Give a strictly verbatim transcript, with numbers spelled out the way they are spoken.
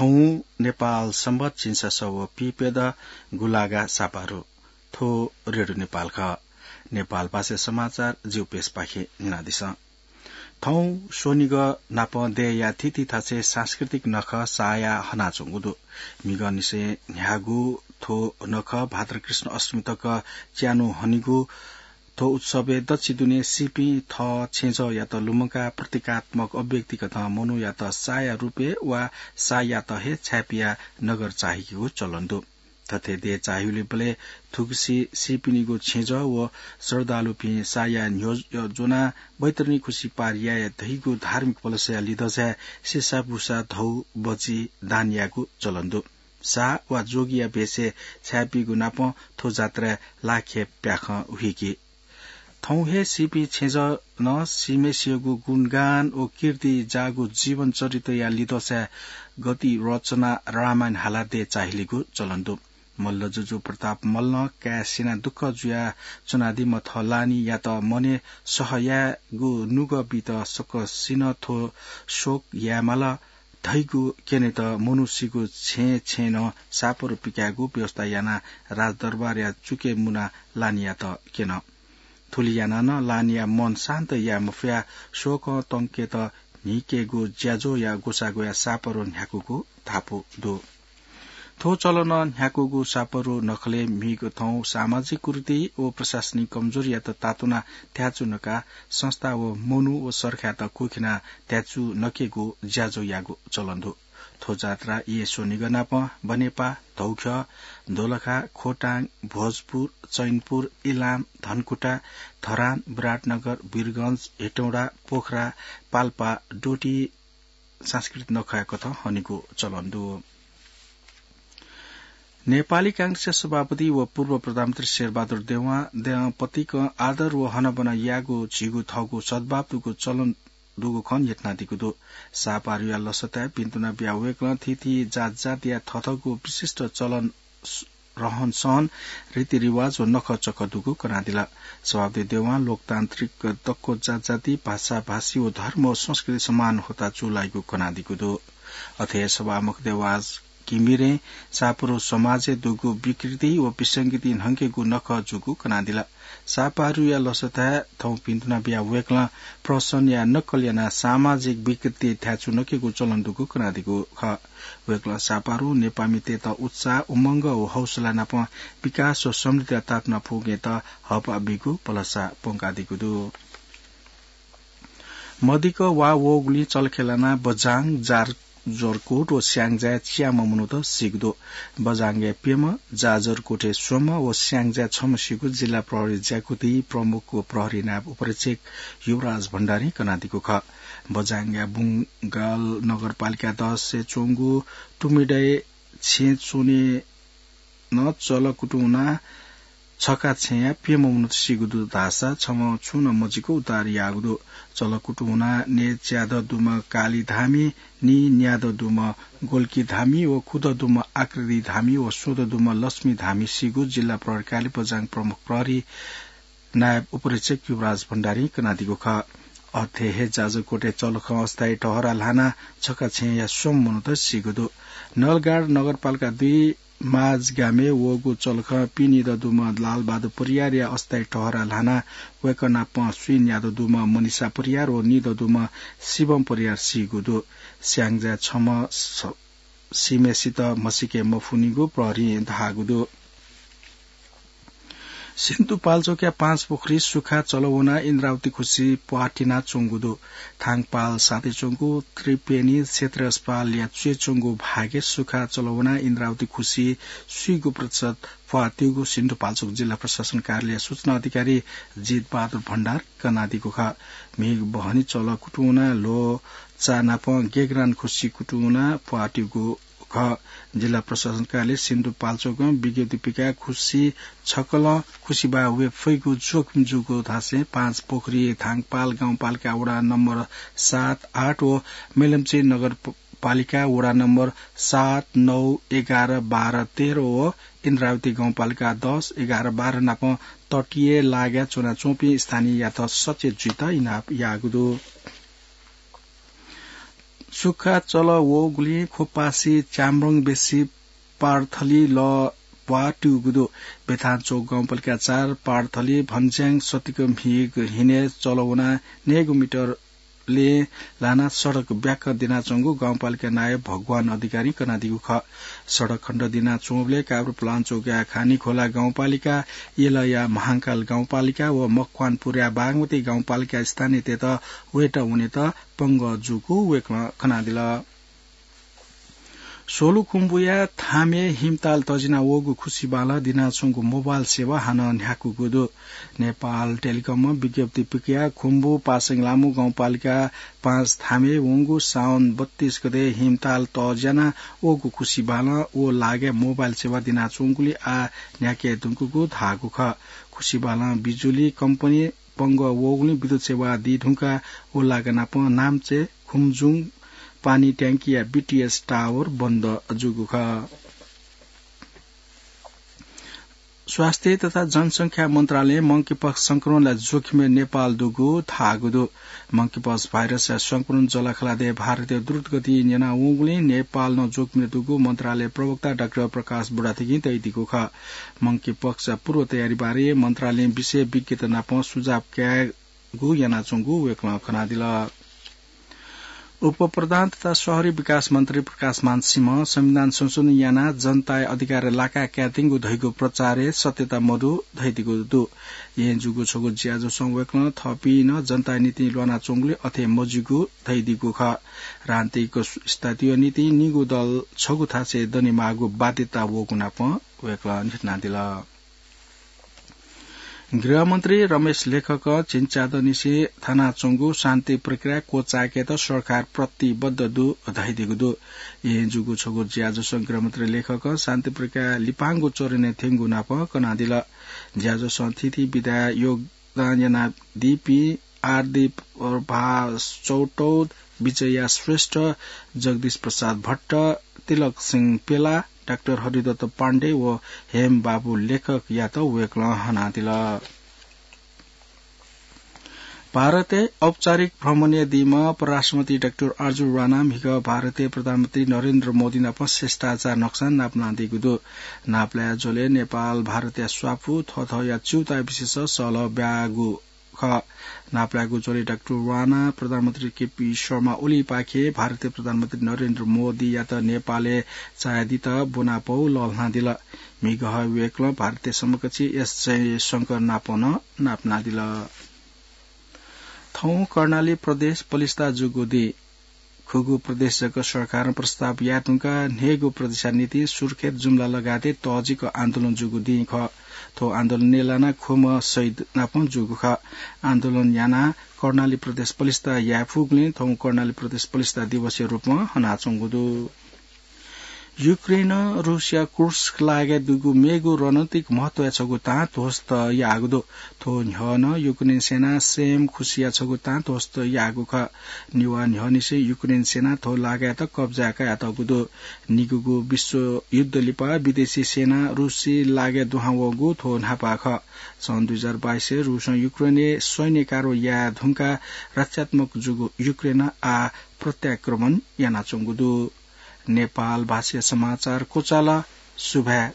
थौं नेपाल संवत झिंछसः व पीप्यदँ गुंलागा सापारु। थ्व रेडियो नेपाल खः। नेपाल भाषा समाचार जिगु पेजपाखें न्यनादिसँ। थौं स्वनिगः नापं देय्‌या थीथी थासय् सांस्कृतिक नखः सायाः हनाच्वंगु दु। म्हिगःनिसें न्ह्याःगु थ्व नखः भाद्र कृष्ण अष्टमी तक च्यान्हु हनीगु थ्व उत्सवय् दच्छि दुने सीपिं थः छेँजःयात लुमंकाः प्रतीकात्मक अभिव्यक्तिकथं मनूयात साया रूपय् वा सायात हे छाय्‌पियाः नगर चाःहिकेगु चलन दु। थथे देय् चाःहिउलिबलय् थुगुसी सीपिनिगु छेँजः व श्रद्धालुपिं साया न्ह्यः ज्वनाः बैतरणी खुसि पार याये धइगु धार्मिक पलसया लिधंसाय् सिसाबुसा धौ बचि दान यायेगु चलन दु। साः वा जोगीया भेषय् छाय्‌पिगु नापं थ्व जात्राय् लाखे प्याखं हुइकी। थौं हे सीपिं छेँजः नं सीम्हेसियागु गुणगान व कीर्ति जाःगु जीवन चरित्रया लिधंसाय् गति रचना रामायण हालाः देय् चाःहिलेगु चलन दु। मल्ल जुजु प्रताप मल्लं काय् सिनाः दुःख जुयाच्वनादीम्ह थः लानियात मनय् सह यायेगु नुगः बीत सकसिनं थ्व शोक यायेमाल धइगु क्यनेत मनूसिगु छेँय् छेँय् नं सापरु पिकायेगु व्यवस्था यानाः राजदरबारया चुकय् मुनाः लानियात क्यन। थुलि यानाः नं लानिया मन शान्त याये मफयाः शोकं तंकेत न्हिकेगु ज्याझ्वःया ग्वसाः ग्वयाः सापरु न्ह्याकूगु धापू दु। थ्व चलनं न्ह्याकूगु सापरु नखलय् म्हिगः थौं सामाजिक कुरीति व प्रशासनिक कमजोरीयात तातुनाः थ्याचु नकाः संस्था व मनू व सरकारयात कुखिनाः थ्याचु नकेगु ज्याझ्वः याःगु चलन दु। थ्व जात्रा येँ स्वनिगः नापं बनेपा, धौख्यः, दोलखा, खोटाङ, भोजपुर, चैनपुर, इलाम, धनकुटा, धरान, विराटनगर, वीरगंज, हेटौँडा, पोखरा, पाल्पा, डोटी सांस्कृतिक नखःया कथं हनेगु चलन दु। नेपाली कांग्रेसया सभापति व पूर्व प्रधानमन्त्री शेरबहादुर देउवां दँय्‌पतिकं आदर व हनाबना यायेगु झीगु थःगु सद्भाव दुगु चलन दुगु खँ न्ह्यथनादीगु दु। सापारुया लसताय् पिन्तुना बियाः वय्‌कलं थीथी जातजातिया थःथःगु विशिष्ट चलन, रहनसहन, रीतिरिवाज व नखःचखः दुगु कनादिल। सभापति देउवां लोकतान्त्रिक दक्व जातजाति, भाषा, भाषी व धर्म व संस्कृति समान होता चूलाइगु कनादीगु दु। अथे हे सभामुख देवास घिमिरें सापरु समाजय् दुगु विकृति व विसंगति न्हंकेगु नखः जूगु कनादिल। सापारुया लसताय् थौं पिन्तुना बियाः वय्‌कलं प्रहसनया नक्कल यानाः सामाजिक विकृति थ्याचु नकेगु चलन दुगु कनादीगु खः। वय्‌कलं सापारुं नेपाःमितय्‌त उत्साह, उमंग व हौसला नाप विकास व समृद्धिया तातुना फुकेत हःपाः बीगु भलसा प्वंकादीगु दु। मदिक्क वा वःगुलिं चलखे लानाः बझाङ, जाजरकोट व स्याङ्जाय् च्याम्ह मनूत सीगु दु। बझाङय् प्यम्ह, जाजरकोटय् स्वम्ह व स्याङ्जाय् छम्ह सीगु जिल्ला प्रहरी ज्याकुथि प्रमुख व प्रहरी नायब उपरीक्षक युवराज भण्डारीं कनादीगु खः। बझाङया बुंगाल नगरपालिका दसय् च्वंगु टुमिडय् छेँ च्वने नं चल कुतुं वनाः छखा छेँया प्यम्ह मनूत सीगु दु धाःसा छम्ह छुं नं मजिक उद्धार याःगु दु। चल कुतुं वनाः नयेच्यादँ दुम्ह काली धामी, नीन्यादँ दुम्ह गोल्की धामी व खुदँ दुम्ह आकृति धामी व स्वदँ दुम्ह लक्ष्मी धामी सीगु जिल्ला प्रहरी कार्यालय बझाङ प्रमुख प्रहरी नायब उपरीक्षक युवराज भण्डारीं कनादीगु खः। अथे हे जाजरकोटय् चलखं अस्थायी टहरा ल्हानाः छखा छेँया स्वम्ह मनूत सीगु दु। नलगाड नगरपालिका दुई माझगामय् वःगु चलखं पिनिदँ दुम्ह लालबहादुर परियारया अस्थायी टहरा ल्हानाः वय्‌कः नाप स्वीन्यादँ दुम्ह मनिषा परियार व निदँ दुम्ह शिवम परियार सीगु दु। स्याङ्जाय् छम्ह स-, सीम्हेसित म्हसीके मफुनिगु प्रहरीं धाःगु दु। सिन्धुपाल्चोकया पाँचपोखरी सुखा चलवनाः इन्द्रावती खुसि प्वातिना च्वंगु दु। थांगपाल साथय् च्वंगु त्रिपेणी क्षेत्रीय अस्पतालया च्वय् च्वंगु भागय् सुखा चलवनाः इन्द्रावती खुसि स्वीगू प्रतिशत प्वात्यूगु सिन्धुपाल्चोक जिल्ला प्रशासन कार्यालय सूचना अधिकारी जितबहादुर भण्डार कनादीगु खः। म्हिगः बहनी चल कुतुं वनाः ल्वःचा नाप गेगरान खुसि कुतुं वनाः प्वात्यूगु खः। जिल्ला प्रशासन कार्यालय सिन्धुपाल्चोकं विज्ञप्ति पिकाः खुसि छकलं खुसिबाः वये फइगु जोखिम जूगु धासें पाँचपोखरी थांगपाल गाउँपालिका वडा नम्बर सात, आठ व मेलम्ची नगरपालिका वडा नम्बर सात, नौ, एघार, बाह्र, तेह्र व इन्द्रावती गाउँपालिका दस, एघार, बाह्र नाप तटीय लागाय् च्वनाच्वंपिं स्थानीययात सचेत जुइत इनाप याःगु दु। सुखा चल वःगुलिं खोपासी च्याम्रङ बेसी पार्थली लः प्वाः त्यूगु दु। बेथांचोक गाउँपालिका चार पार्थली भन्ज्याङ सतिक म्हिग हिने चल वना नेगु मिटर ले लाना सडक ब्याक दिनाच्वंगु गाउँपालिका नायब भगवान अधिकारीं कनादीगु खः। सडक खण्ड दिनाच्वंबलय् काभ्रेपलाञ्चोकया खानीखोला गाउँपालिका, यलया महांकाल गाउँपालिका व मकवानपुरया बागमती गाउँपालिका स्थानीयतय्त वयेत वनेत पंगः जूगु वय्कलं कनादिल। सोलुखुम्बुया थामे हिमताल तजिना वःगु खुसिबालं दिनाच्वंगु मोबाइल सेवा हानं न्ह्याकूगु दु। नेपाल टेलिकमं विज्ञप्ति पिकया खुम्बु पासाङलामु गाउँपालिका पाँच थामे वंगु साउन बत्तीस गते हिमताल तज्याना वःगु खुसिबालं व लागाय् मोबाइल सेवा दिनाच्वंगुलिं आः न्ह्याके धुंकूगु धाःगु खः। खुसिबालं बिजुली कम्पनी पंगः वःगुलिं विद्युत सेवा दी धुंकाः व लागा नाप नाम्चे, खुम्जुङ, पानी ट्याङ्कीया बीटीएस टावर बन्द जूगु खः। स्वास्थ्य तथा जनसंख्या मन्त्रालयं मंकीपक्स संक्रमणया जोखिमय् नेपाल दुगु धाःगु दु। मंकीपक्स भाइरसया संक्रमण जःलाखःलादँय् भारतय् द्रुतगतिं न्यना वंगुलिं नेपाल नं जोखिमय् दुगु मन्त्रालय प्रवक्ता डाक्टर प्रकाश बुढाथेकीं धयादीगु खः। मंकीपक्सया पूर्व तयारी बारे मन्त्रालयं विषय विज्ञत नाप सुझाव कायेगु यानाच्वंगु वय्कलं कनादिल। उपप्रधान तथा शहरी विकास मन्त्री प्रकाशमान सिंहं संविधान संशोधन यानाः जनताया अधिकार लाका कायेत्यंगु धइगु प्रचारय् सत्यता मदु धयादीगु दु। येँ जूगु छगू ज्याझ्वलय् वय्कलं थःपिं नं जनताया निंतिं ल्वानाच्वंगुलिं अथे मजूगु धयादीगु खः। राजनीतिक स्थायित्वया निंतिं निगू दल छगू थासय् दनेमाःगु बाध्यता वःगु नाप वय्कलं न्ह्यथनादिल। गृहमन्त्री रमेश लेखकं झिंच्यादँनिसें थानाच्वंगु शान्ति प्रक्रिया क्वचाय्केत सरकार प्रतिबद्ध दु धयादीगु दु। येँ जूगु छगू ज्याझ्वलय् गृहमन्त्री लेखकं शान्ति प्रक्रिया लिपांगु चरणय् थ्यंगु नाप कनादिल। ज्याझ्वलं थीथी विधाय् योगदान यानादीपिं आरडी प्रभा चौटौद, विजया श्रेष्ठ, जगदीश प्रसाद भट्ट, तिलक सिंह पेला, डाक्टर हरिदत्त पाण्डे व हेमबाबु लेखकयात वय्कलं हनादिल। भारतय् औपचारिक भ्रमणय् दीम्ह परराष्ट्रमन्त्री डाक्टर अर्जुन राणा म्हिगः भारतय् प्रधानमन्त्री नरेन्द्र मोदी नाप शिष्टाचार नक्सा नापलानादीगु दु। नापलाये झ्वलय् नेपाल भारतया स्वापू थःथःया च्यूताया विषयय् सहलह ब्यागु खः। नापलायेगु झ्वलय् डाक्टर राणा प्रधानमन्त्री केपी शर्मा ओलीपाखें भारतय् प्रधानमन्त्री नरेन्द्र मोदीयात नेपालय् चाःहिलेत ब्वनापौ लःल्हानादिल। म्हिगः वय्कलं भारतय् समकक्षी एस जयशंकर नाप नं नापलानादिल। थौं कर्णाली प्रदेश पलिस्था जूगु दिं। खुगू प्रदेश जक सरकारं प्रस्ताव याये धुंकाः न्हय्गू प्रदेशया निंतिं सुर्खेत, जुम्ला लगायतय् तःजिक आन्दोलन जूगु दिं खः। थ्व आन्दोलनय् लानाः खुम्ह शहीद नापं जूगु खः। आन्दोलन यानाः कर्णाली प्रदेश पलिस्था याये फुगुलिं थौं कर्णाली प्रदेश पलिस्था दिवसया रूपं हनाच्वंगु दु। युक्रेनं रूसया कुर्स्क लागाय् दुगु मेगु रणनीतिक महत्वया छगू तां ध्वस्त याःगु दु। थ्व न्ह्यः नं युक्रेन सेनां सेम खुसिया छगू तां ध्वस्त याःगु खः। नेवाः न्ह्यःनिसें युक्रेन सेनां थ्व लागायात कब्जाय् कयातःगु दु। निगूगु विश्वयुद्ध लिपा विदेशी सेना रूसी लागाय् दुहां वःगु थ्व न्हापा खः। सन् दुई हजार बाइसय् रूसं युक्रेनय् सैन्य कारवाही याये धुंकाः रक्षात्मक जूगु युक्रेनं आः प्रत्याक्रमण यानाच्वंगु दु। नेपाल भाषाया समाचार क्वचाल। सुभाय्।